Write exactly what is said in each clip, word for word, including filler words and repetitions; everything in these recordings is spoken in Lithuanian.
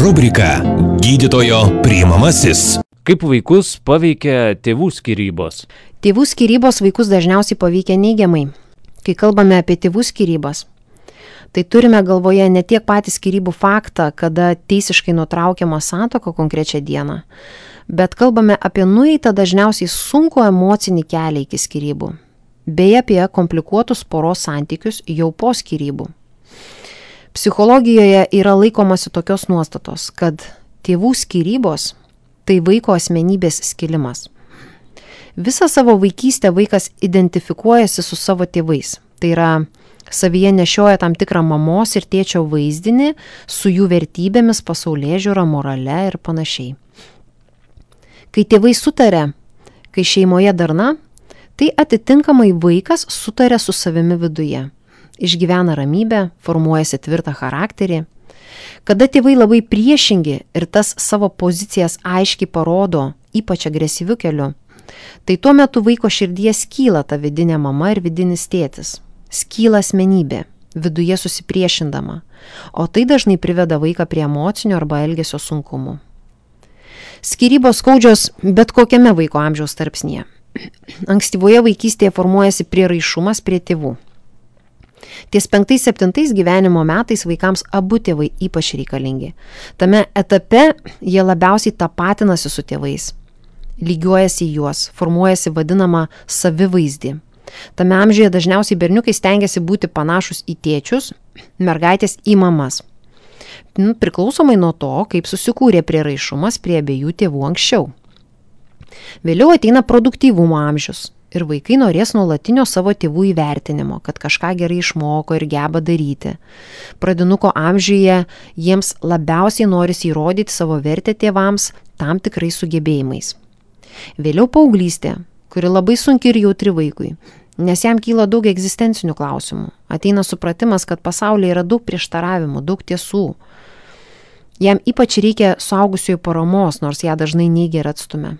Rubrika Gydytojo priimamasis. Kaip vaikus paveikia tėvų skyrybos? Tėvų skyrybos vaikus dažniausiai paveikia neigiamai. Kai kalbame apie tėvų skyrybas, tai turime galvoje ne tiek patį skyrybų faktą, kada teisiškai nutraukiama santuoka konkrečią dieną, bet kalbame apie nueitą dažniausiai sunku emocinį kelią iki skyrybų, bei apie komplikuotus poros santykius jau po skyrybų. Psichologijoje yra laikomasi tokios nuostatos, kad tėvų skyrybos tai vaiko asmenybės skilimas. Visą savo vaikystę vaikas identifikuojasi su savo tėvais. Tai yra, savyje nešioja tam tikrą mamos ir tėčio vaizdinį su jų vertybėmis, pasaulėžiūra, morale ir panašiai. Kai tėvai sutarė, kai šeimoje darna, tai atitinkamai vaikas sutarė su savimi viduje. Išgyvena ramybę, formuojasi tvirtą charakterį. Kada tėvai labai priešingi ir tas savo pozicijas aiškiai parodo, ypač agresyviu keliu, tai tuo metu vaiko širdies skyla ta vidinė mama ir vidinis tėtis. Skyla asmenybė, viduje susipriešindama, o tai dažnai priveda vaiką prie emocinio arba elgesio sunkumų. Skyrybos skaudžios bet kokiame vaiko amžiaus tarpsnyje. Ankstyvoje vaikystėje formuojasi prieraišumas prie tėvų. Ties penktais septintais gyvenimo metais vaikams abu tėvai ypač reikalingi. Tame etape jie labiausiai tapatinasi su tėvais, lygiuojasi į juos, formuojasi vadinamą savivaizdį. Tame amžiuje dažniausiai berniukai stengiasi būti panašus į tėčius, mergaitės į mamas. Priklausomai nuo to, kaip susikūrė prieraišumas prie abiejų tėvų anksčiau. Vėliau ateina produktyvumo amžius. Ir vaikai norės nuolatinio savo tėvų įvertinimo, kad kažką gerai išmoko ir geba daryti. Pradinuko amžiuje jiems labiausiai norisi įrodyti savo vertę tėvams tam tikrais sugebėjimais. Vėliau paauglystė, kuri labai sunki ir jautri vaikui, nes jam kyla daug egzistencinių klausimų. Ateina supratimas, kad pasaulyje yra daug prieštaravimų, daug tiesų. Jam ypač reikia suaugusiųjų paramos, nors ją dažnai neigia ir atstumia.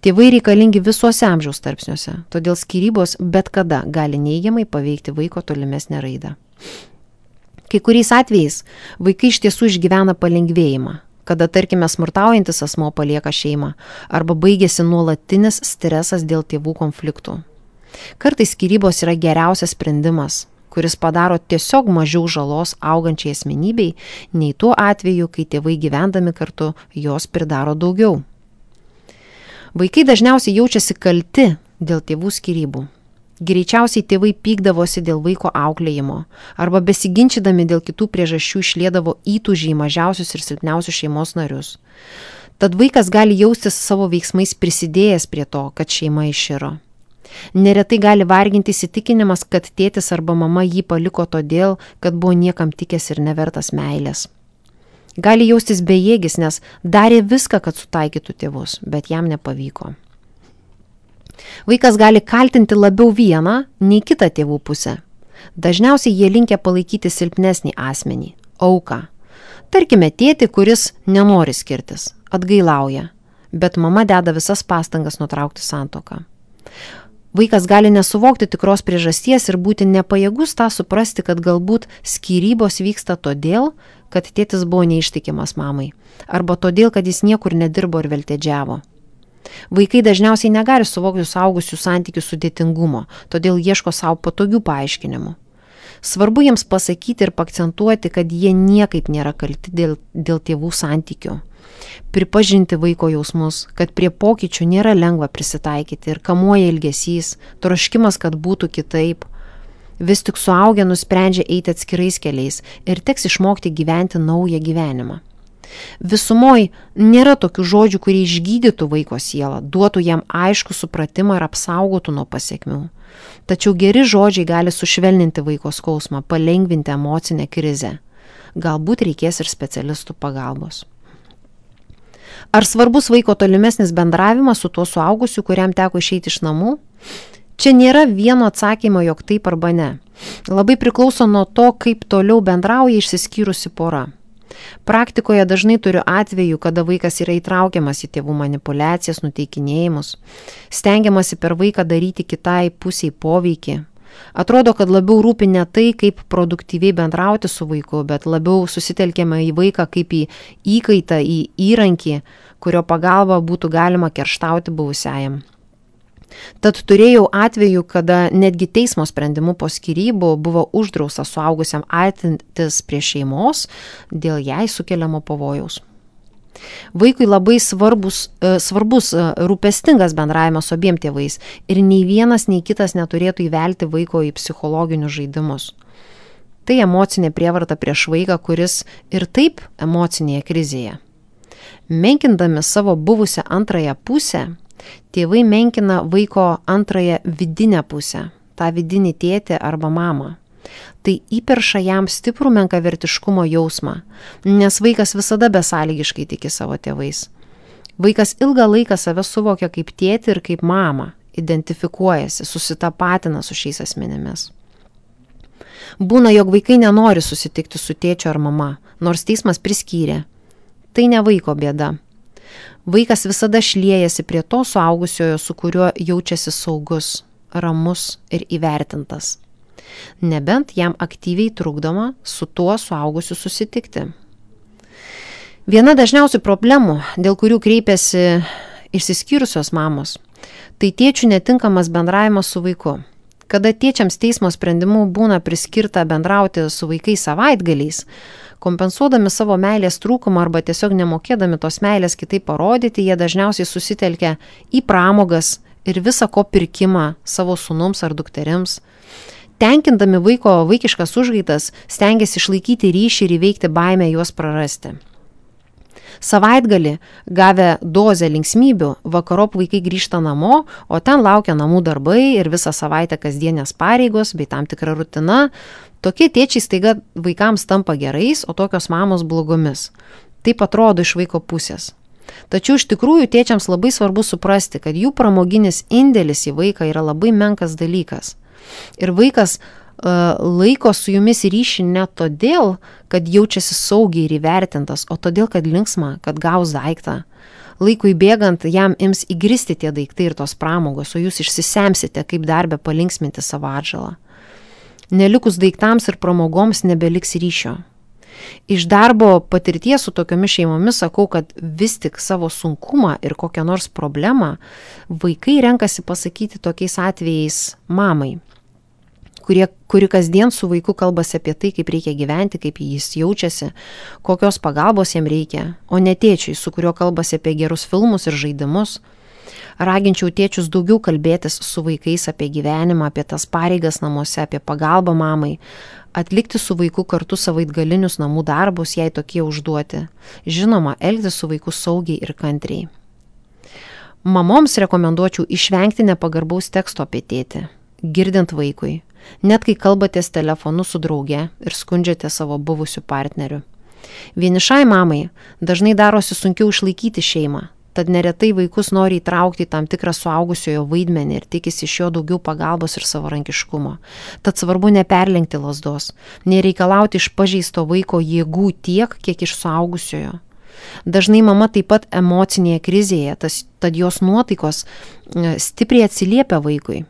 Tėvai reikalingi visuose amžiaus tarpsniuose, todėl skyrybos bet kada gali neigiamai paveikti vaiko tolimesnę raidą. Kai kuriais atvejais vaikai iš tiesų išgyvena palengvėjimą, kada, tarkime, smurtaujantis asmuo palieka šeimą arba baigėsi nuolatinis stresas dėl tėvų konfliktų. Kartais skyrybos yra geriausias sprendimas, kuris padaro tiesiog mažiau žalos augančiai asmenybei, nei tuo atveju, kai tėvai gyvendami kartu jos pridaro daugiau. Vaikai dažniausiai jaučiasi kalti dėl tėvų skyrybų. Greičiausiai tėvai pykdavosi dėl vaiko auklėjimo arba besiginčydami dėl kitų priežasčių išliedavo įtūžį į mažiausius ir silpniausius šeimos narius. Tad vaikas gali jaustis savo veiksmais prisidėjęs prie to, kad šeima iširo. Neretai gali varginti įsitikinimas, kad tėtis arba mama jį paliko todėl, kad buvo niekam tikęs ir nevertas meilės. Gali jaustis bejėgis, nes darė viską, kad sutaikytų tėvus, bet jam nepavyko. Vaikas gali kaltinti labiau vieną nei kitą tėvų pusę. Dažniausiai jie linkę palaikyti silpnesnį asmenį, auką. Tarkime, tėtį, kuris nenori skirtis, atgailauja, bet mama deda visas pastangas nutraukti santuoką. Vaikas gali nesuvokti tikros priežasties ir būti nepajėgus tą suprasti, kad galbūt skyrybos vyksta todėl, kad tėtis buvo neištikimas mamai, arba todėl, kad jis niekur nedirbo ir veltėdžiavo. Vaikai dažniausiai negali suvokti suaugusių santykių sudėtingumo, todėl ieško savo patogių paaiškinimų. Svarbu jiems pasakyti ir paakcentuoti, kad jie niekaip nėra kalti dėl, dėl tėvų santykių. Pripažinti vaiko jausmus, kad prie pokyčių nėra lengva prisitaikyti ir kamuoja ilgesys, troškimas, kad būtų kitaip. Vis tik suaugę nusprendžia eiti atskirais keliais ir teks išmokti gyventi naują gyvenimą. Visumoj nėra tokių žodžių, kurie išgydytų vaiko sielą, duotų jam aišku supratimą ir apsaugotų nuo pasekmių. Tačiau geri žodžiai gali sušvelninti vaiko skausmą, palengvinti emocinę krizę. Galbūt reikės ir specialistų pagalbos. Ar svarbus vaiko tolimesnis bendravimas su tuo suaugusiu, kuriam teko išeiti iš namų? Čia nėra vieno atsakymo, jog taip arba ne. Labai priklauso nuo to, kaip toliau bendrauja išsiskyrusi pora. Praktikoje dažnai turiu atvejų, kada vaikas yra įtraukiamas į tėvų manipulacijas, nuteikinėjimus, stengiamasi per vaiką daryti kitai pusiai poveikį, Atrodo, kad labiau rūpi ne tai, kaip produktyviai bendrauti su vaiku, bet labiau susitelkiame į vaiką kaip į įkaitą, į įrankį, kurio pagalba būtų galima kerštauti buvusiajam. Tad turėjau atvejų, kada netgi teismo sprendimu po skyrybų buvo uždrausta suaugusiam artintis prie šeimos dėl jai sukeliamo pavojaus. Vaikui labai svarbus, svarbus rūpestingas bendravimas su abiem tėvais ir nei vienas, nei kitas neturėtų įvelti vaiko į psichologinius žaidimus. Tai emocinė prievarta prieš vaiką, kuris ir taip emocinėje krizėje. Menkindami savo buvusią antrąją pusę, tėvai menkina vaiko antrąją vidinę pusę, tą vidinį tėtį arba mamą. Tai įperša jam stiprų menkavertiškumo jausmą, nes vaikas visada besąlygiškai tiki savo tėvais. Vaikas ilgą laiką save suvokia kaip tėtį ir kaip mamą, identifikuojasi, susitapatina su šiais asmenimis. Būna, jog vaikai nenori susitikti su tėčiu ar mama, nors teismas priskyrė. Tai ne vaiko bėda. Vaikas visada šliejasi prie to suaugusiojo, su kuriuo jaučiasi saugus, ramus ir įvertintas. Nebent jam aktyviai trukdoma su tuo suaugusiu susitikti. Viena dažniausių problemų, dėl kurių kreipiasi išsiskyrusios mamos, tai tėčių netinkamas bendravimas su vaiku. Kada tėčiams teismo sprendimu būna priskirta bendrauti su vaikais savaitgaliais, kompensuodami savo meilės trūkumą arba tiesiog nemokėdami tos meilės kitaip parodyti, jie dažniausiai susitelkia į pramogas ir visą ko pirkimą savo sūnums ar dukterims. Tenkindami vaiko vaikiškas užgaitas, stengiasi išlaikyti ryšį ir įveikti baimę juos prarasti. Savaitgalį, gavę dozę linksmybių, vakarop vaikai grįžta namo, o ten laukia namų darbai ir visą savaitę kasdienės pareigos bei tam tikra rutina. Tokie tėčiai staiga vaikams tampa gerais, o tokios mamos blogomis. Taip atrodo iš vaiko pusės. Tačiau iš tikrųjų tėčiams labai svarbu suprasti, kad jų pramoginis indėlis į vaiką yra labai menkas dalykas. Ir vaikas uh, laiko su jumis ryšį ne todėl, kad jaučiasi saugiai ir įvertintas, o todėl, kad linksma, kad gaus daiktą. Laikui bėgant jam ims įgristi tie daiktai ir tos pramogos, o jūs išsisemsite, kaip darbę palinksminti savo atžalą. Nelikus daiktams ir pramogoms nebeliks ryšio. Iš darbo patirties su tokiomis šeimomis sakau, kad vis tik savo sunkumą ir kokią nors problemą vaikai renkasi pasakyti tokiais atvejais mamai, kurie, kuri kasdien su vaiku kalbasi apie tai, kaip reikia gyventi, kaip jis jaučiasi, kokios pagalbos jam reikia, o ne tėčiui, su kuriuo kalbasi apie gerus filmus ir žaidimus. Raginčiau tėčius daugiau kalbėtis su vaikais apie gyvenimą, apie tas pareigas namuose, apie pagalbą mamai, atlikti su vaiku kartu savaitgalinius namų darbus, jei tokie užduoti. Žinoma, elgtis su vaiku saugiai ir kantriai. Mamoms rekomenduočiau išvengti nepagarbaus teksto apie tėtį, girdint vaikui, net kai kalbatės telefonu su drauge ir skundžiate savo buvusiu partneriu. Vienišai mamai dažnai darosi sunkiau išlaikyti šeimą. Tad neretai vaikus nori įtraukti į tam tikrą suaugusiojo vaidmenį ir tikisi iš jo daugiau pagalbos ir savarankiškumo. Tad svarbu neperlenkti lazdos, nereikalauti iš pažeisto vaiko jėgų tiek, kiek iš suaugusiojo. Dažnai mama taip pat emocinėje krizėje, tas, tad jos nuotaikos stipriai atsiliepia vaikui.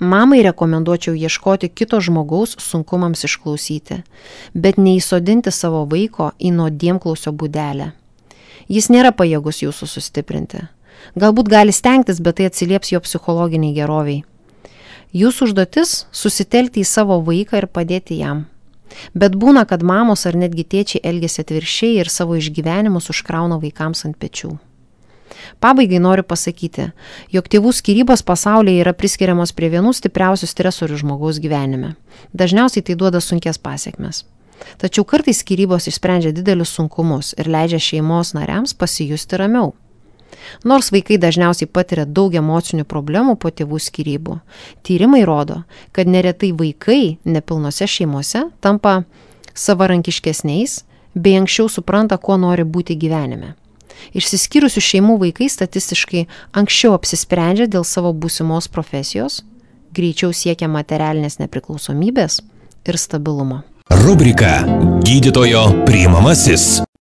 Mamai rekomenduočiau ieškoti kito žmogaus sunkumams išklausyti, bet neįsodinti savo vaiko į nuodėmklausio būdelę. Jis nėra pajėgus jūsų sustiprinti. Galbūt gali stengtis, bet tai atsilieps jo psichologiniai geroviai. Jūsų užduotis – susitelkti į savo vaiką ir padėti jam. Bet būna, kad mamos ar netgi tėčiai elgiasi atvirkščiai ir savo išgyvenimus užkrauna vaikams ant pečių. Pabaigai noriu pasakyti, jog tėvų skyrybos pasaulyje yra priskiriamos prie vienų stipriausių stresorių žmogaus gyvenime. Dažniausiai tai duoda sunkias pasekmes. Tačiau kartais skyrybos išsprendžia didelius sunkumus ir leidžia šeimos nariams pasijusti ramiau. Nors vaikai dažniausiai patiria daug emocinių problemų po tėvų skyrybų, tyrimai rodo, kad neretai vaikai nepilnose šeimose tampa savarankiškesniais bei anksčiau supranta, kuo nori būti gyvenime. Išsiskyrusių šeimų vaikai statistiškai anksčiau apsisprendžia dėl savo būsimos profesijos, greičiau siekia materialinės nepriklausomybės ir stabilumo. Rubrika Gydytojo priimamasis.